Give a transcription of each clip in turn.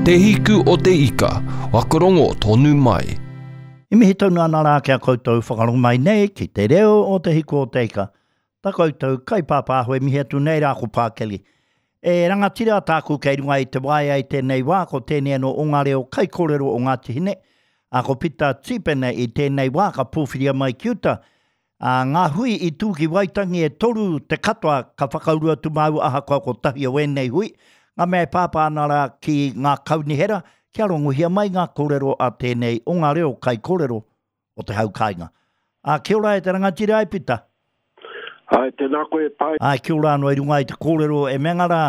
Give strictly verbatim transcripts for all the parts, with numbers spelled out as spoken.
Te Hiku o te Ika, wakarongo tonu mai. I mihi tonu ana rā ki a koutou whakarongo mai nei ki te reo o Te Hiku o te Ika. Ta koutou kaipāpāho e mihi atu nei rā ko Pākeli. E rangatira tāku kei runga i te waea i tēnei wā, ko tēnei anō o ngā reo kaikōrero o Ngāti Hine, a ko Pita Tīpene i tēnei wā ka pōwhiria mai ki uta. A, ngā hui i tū ki Waitangi e toru te katoa ka whakauru atu māua ahakoa kotahi o ēnei hui, ngā mea e pāpā ana rā ki ngā kaunihera, kia rongohia mai ngā kōrero a tēnei o ngā reo kaikōrero o te hau kāinga. A, kia ora e te rangatira e Pita. Ai, tēnā koe e pai. Ai, kia ora anō i runga i te kōrero e mea rā,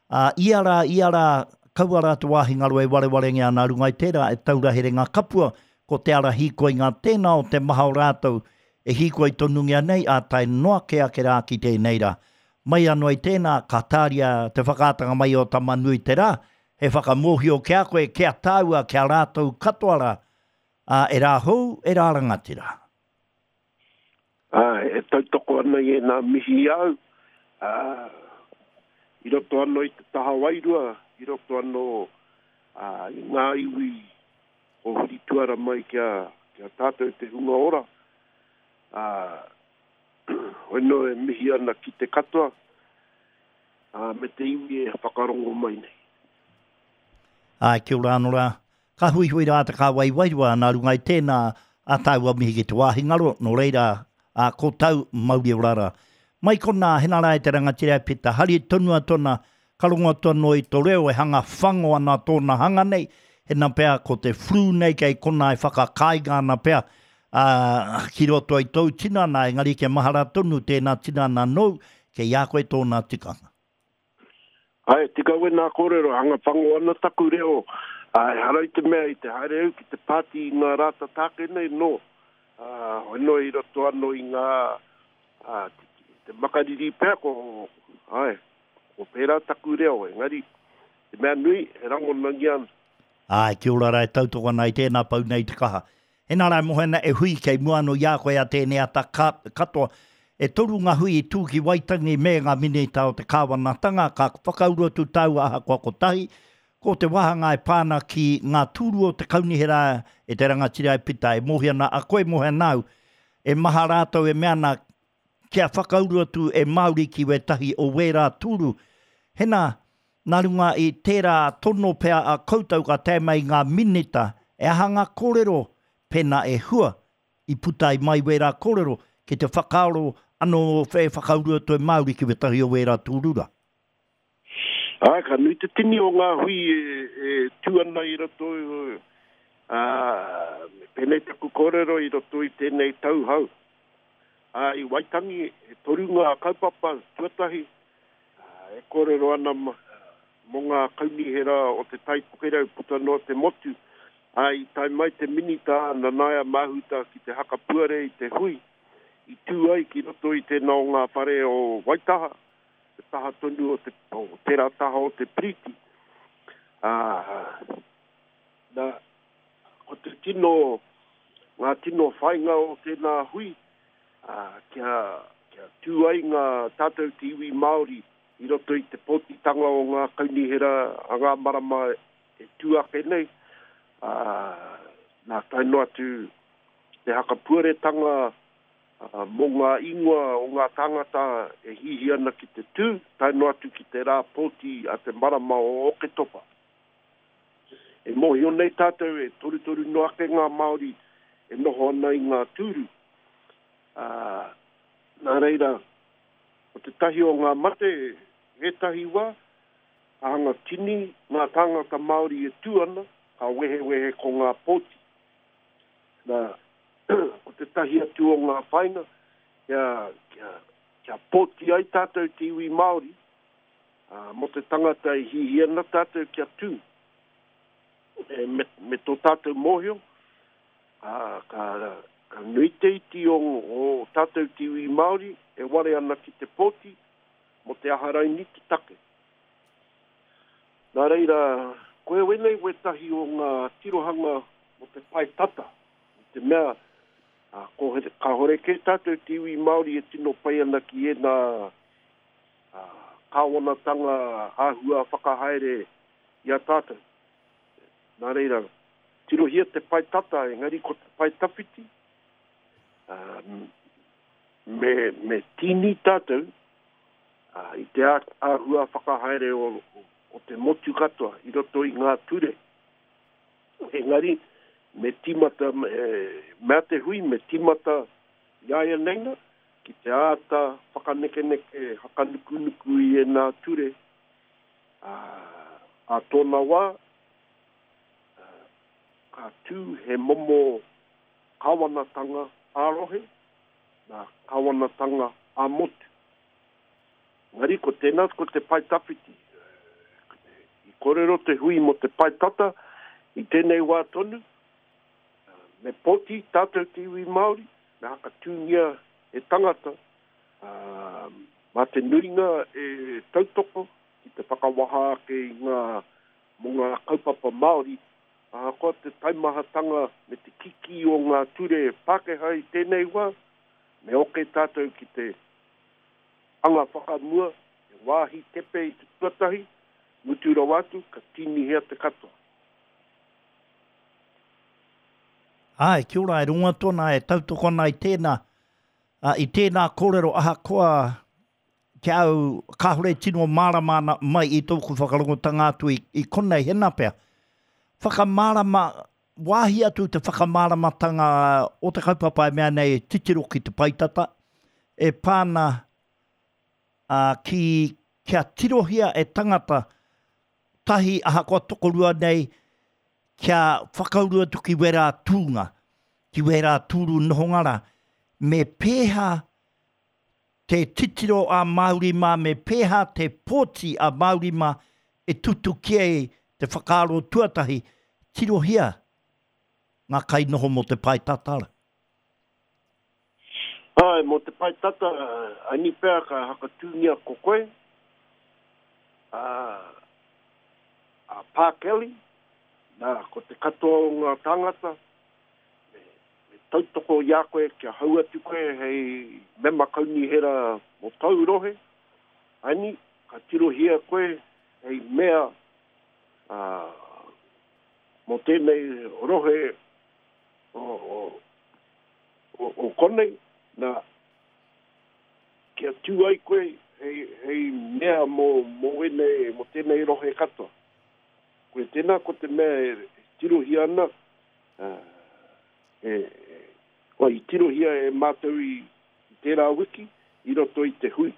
a, ia rā, ia rā, kaua rā te wāhi ngaro e warewarengia ana runga i tērā e taura here ngā kapua, ko te ara hīkoi ngā tēnā o te maha o rātou e hīkoi tonungia nei, a tae noa ke ake rā ki tēnei rā. Mai anō i tēnā, ka tāria te whakaatanga mai o Tamanui te rā, he whakamōhio ki a koe, kia tāua, kia rātou katoa rā, a, e rā hou, e rā rangatira. Ai, e tautoko ana i e nā mihi au, ā, i roto anō i te taha wairua, i roto anō ā, i ngā iwi o huri tuara mai kia, kia tātou te hunga ora. Ā, hoi nō e mihi ana ki te katoa, ā, me te iwi e whakarongo mai nei. Ai, kia ora anō rā. Ka huihui rā te kāwai wairua nā runga i tēnā a tāua mihi ki te wāhi ngaro, nō reira, a, ko tau mauri ora rā. Mai konā, hena rā e te rangatira e Pita, hari tonu atu ana, ka rongo atu anō i tō reo e hanga whango ana tōna hanga nei, hena pea ko te flu nei kei konā e whakakāinga ana pea, ā, ki roto i tōu tinana, engari kia mahara tonu tēnā tinana nōu, kei a koe tōna tikanga. Ai, tika wēnā kōrero, hanga whango ana taku reo, ā, ehara i te mea i te haere au ki te pāti i ngā rā tata ake nei, nō, ā, hoi noa i roto anō i ngā, ā, te makariri pea, ko, ai, ko pērā taku reo, engari, te mea nui, e rangonangia ana. Āe, kia ora rā e tautoko ana i tēnā pau nei te kaha. Hena rā e moe ana e hui kei mua anō i a koe a tēnei ata ka, katoa. E toru ngā hui i tū ki Waitangi me ngā minita o te kāwanatanga ka whakauru atu tāua ahakoa kotahi, ko te wāhanga e pā ana ki ngā tūru o te kaunihera e te rangatira e Pita e mōhio ana a koe mōhio ana au, e maha rātou e mea ana kia whakauru atu e Māori ki wētahi o wērā tūru. Hena, nā runga i tērā tono pea a koutou ka tae mai ngā minita, e aha ngā kōrero pēnā e hua i puta ai mai wērā kōrero ki te whakaaro anō e whakauru atu e Māori ki wētahi o wērā tūru rā. Āe, ka nui te tini o ngā hui e, e tū ana i roto, ā, me pēnei taku kōrero i roto i tēnei tau hou. Ā, i Waitangi, e toru ngā kaupapa tuatahi, ā, e kōrero ana mō ngā kaunihera o Te Tai Tokerau puta noa te motu, ā, i tae mai te Minita a Nanaia Mahuta ki te hakapuare i te hui i tū ai ki roto i tēnā o ngā whare o Waitaha, te taha tonu o te, o tērā taha o te piriti. Ā, nā, ko te tino, ngā tino whāinga o tēnā hui, ā, kia, kia tū ai ngā tātou te iwi Māori i roto i te pōtitanga o ngā kaunihera a ngā marama e tū ake nei, ā, nā tae noa atu ki te hakapuaretanga mō ngā ingoa o ngā tāngata e hihi ana ki te tū, tae noa atu ki te rā pōti a te marama o Oketopa. E mōhio nei tātou e torutoru noa ake ngā Māori e noho ana i ngā tūru. Ā, nā reira, ko tētahi o ngā mate ētahi wā, ka hanga tini ngā tāngata Māori e tū ana, ka wehewehe ko ngā pōti. Nā, ko tētahi atu o ngā whāinga, kia, kia, kia pōti ai tātou te iwi Māori, ā, mō te tangata e hihi ana tātou kia tū. E, me, me tō tātou mōhio, ā, ka, ka nui te iti o, o tātou te iwi Māori e ware ana ki te pōti mō te aha raini te take. Nā reira, koe wēnei wētahi o ngā tirohanga mō te pae tata, i te mea, ā, kāore kē tātou te iwi Māori e tino pai ana ki ēnā, ā, kāwanatanga āhua whakahaere i a tātou. Nā reira, tirohia te pae tata, engari ko te pae tawhiti, uh, me, me tīni tātou uh, i te āhua whakahaere o, o, o te motu katoa i roto i ngā ture. Engari, me tīmata, me, mea te hui, me tīmata i aia neina, ki te āta whakanekeneke, hakanukunuku i e nā ture, a, a tōna wā, a, ka tū he momo kawanatanga ā-rohe, nā kawanatanga ā-motu. Ngari ko tēnā ko te pae tawhiti. I kōrero te hui mo te pae tata i tēnei wā tonu, me poti tātou te iwi Māori, me hakatūngia e tangata, uh, mā te nuringa e tautoko ki te whakawaha ake i ngā, mō ngā kaupapa Māori, ahakoa te taimahatanga me te kiki o ngā ture Pākehā i tēnei wā, me oke tātou ki te anga whakamua, e wāhi tepe i te tuatahi, mutu rawa atu, ka tīnihia te katoa. Ai, kia ora, e runga tōna, e tautoko ana i tēnā, uh, i tēnā kōrero ahakoa ki au kāhore tino mārama ana mai i tōku whakarongotanga atu i, i konei hena pea. Whakamārama, wāhi atu te whakamāramatanga o te kaupapa e mea nei titiro ki te paetata, e pāna uh, ki, kia tirohia e tangata tahi ahakoa tokorua nei kia whakauru atu ki wērā tūnga, ki wērā tūru nohongara, me pēhā te titiro a Māori mā, me pēhā te pōti a Māori mā e tutuki ai te whakaaro tuatahi, tirohia ngā kainoho mō te pae tatara. Ai, mō te pae tata, ani pea ka hakatūngia ko koe, a, a Pā Kelly, nā, ko te katoa o ngā tāngata, me, me tautoko i a koe kia hau atu koe hei mema kaunihera mō tau rohe, ani, ka tirohia koe hei mea uh, mō tēnei rohe o, o, o, o konei, nā, kia tū ai koe hei, hei mea mō, mō, ene, mō tēnei rohe katoa. Koe tēnā ko te mea e tirohia ana, uh, e, e, o, i tirohia e mātou i, i tērā wiki, i roto i te hui.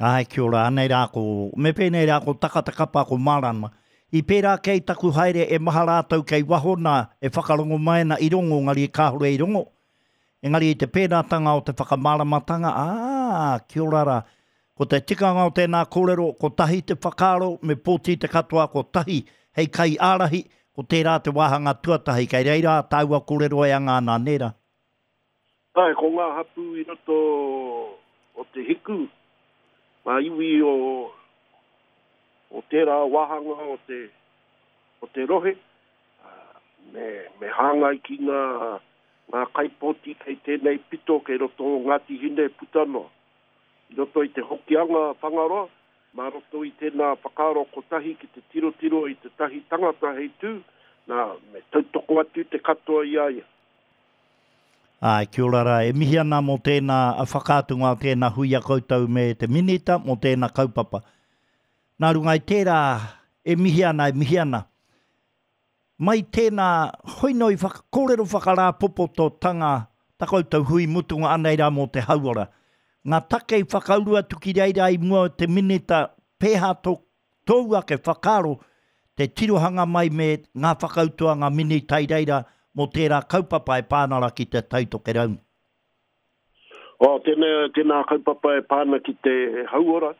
Ai, kia ora, anei rā ko, me pēnei rā ko takatakapa ko mārama. I pērā kei taku haere e maha rātou kei waho nā e whakarongo mai ana i rongo, ngari kāhore i rongo. Engari i te pēnātanga o te whakamāramatanga, ā, kia ora rā. Ko te tikanga o tēnā kōrero, ko tahi te whakaaro, me pōti te katoa, ko tahi hei kai ārahi, ko tērā te wāhanga tuatahi, kei reira tāua kōrero e anga ana, nē rā. Ai, ko ngā hapū i roto o te hiku, ngā iwi o, o tērā wāhanga o te, o te rohe, me, me hāngai ki ngā, ngā kaipōti kei tēnei pito kei roto o Ngāti Hine puta noa. I roto i te Hokianga Whangaroa, mā roto i tēnā whakaaro kotahi ki te tirotiro i te tahi tangata hei tū, nā, me tautoko atu te katoa i a ia. Ai, kia ora rā, e mihi ana mō tēnā whakaatunga o tēnā hui a koutou me te minita mō tēnā kaupapa. Nā runga i tērā, e mihi ana, e mihi ana. Mai tēnā, hoino i whaka, kōrero whakarāpopototanga ta koutou hui mutunga anei rā mō te hauora. Ngā take i whakauru atu ki reira i mua o te minita, pēhā tō, tōu ake whakaaro te tirohanga mai me ngā whakautua ngā minita i reira mō tērā kaupapa e pānara ki te Taitokerau. O, tēnā, tēnā kaupapa e pāna ki te hauora,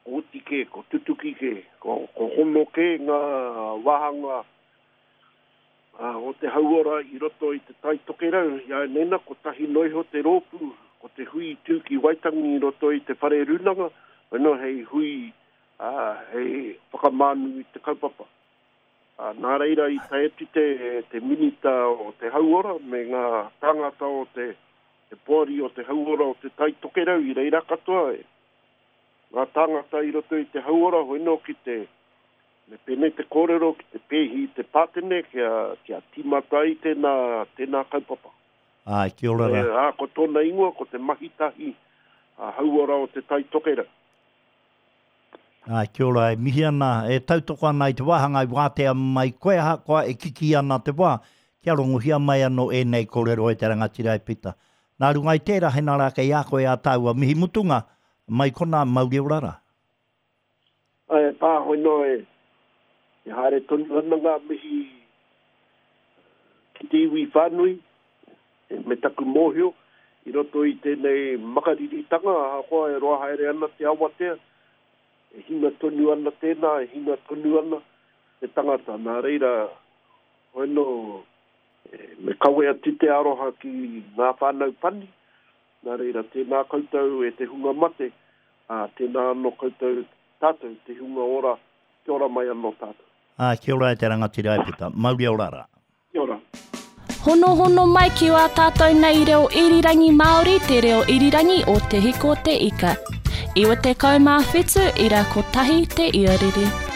ko oti ke, ko tutuki ke, ko, ko hono ke ngā wāhanga uh, o te hauora i roto i te Taitokerau. I a nena, ko tahi noiho te rōpū, ko te hui tū ki Waitangi i roto i te whare rūnanga, ano hei hui, uh, hei whakamānu i te kaupapa. Uh, nā reira i tae atu te, te minita o te hauora me ngā tāngata o te, te poari o te hauora o te Taitokerau i reira katoa e. ngā tāngata i roto i te hauora, hoi nō ki te, me pēnei te kōrero, ki te pēhi i te pātene, kia, kia tīmata ai tēnā, tēnā kaupapa. Āe, kia ora rā. Ā, ko tōna ingoa, ko te mahitahi a hauora o te Tai Tokerau. Āe, kia ora, e mihi ana, e tautoko ana i te wāhanga i wātea mai koe ahakoa e kikī ana te wā, kia rongohia mai anō ēnei kōrero e te rangatira e Pita. Nā runga i tērā, hena rā kei a koe ā tāua mihi mutunga, mai konā, mauri ora rā. Āe, pā, hoi noa e, e haere tonu ana ngā mihi ki te iwi whānui, me taku mōhio, i roto i tēnei makariritanga, ahakoa e roa haere ana te awatea, e hinga tonu ana tēnā, e hinga tonu ana te tangata. Nā reira, hoi nō, me kawe atu te aroha ki ngā whānau pani, nā reira, tēnā koutou e te hunga mate, ā, tēnā anō koutou tātou, te hunga ora, kia ora mai anō tātou. Ā, kia ora e te rangatira e Pita. Mauri ora rā. Kia ora. Honohono mai ki wā tātou nei reo irirangi Māori, te reo irirangi o Te Hiko Te Ika. Iwa tekau mā whitu, ira kotahi te iarere.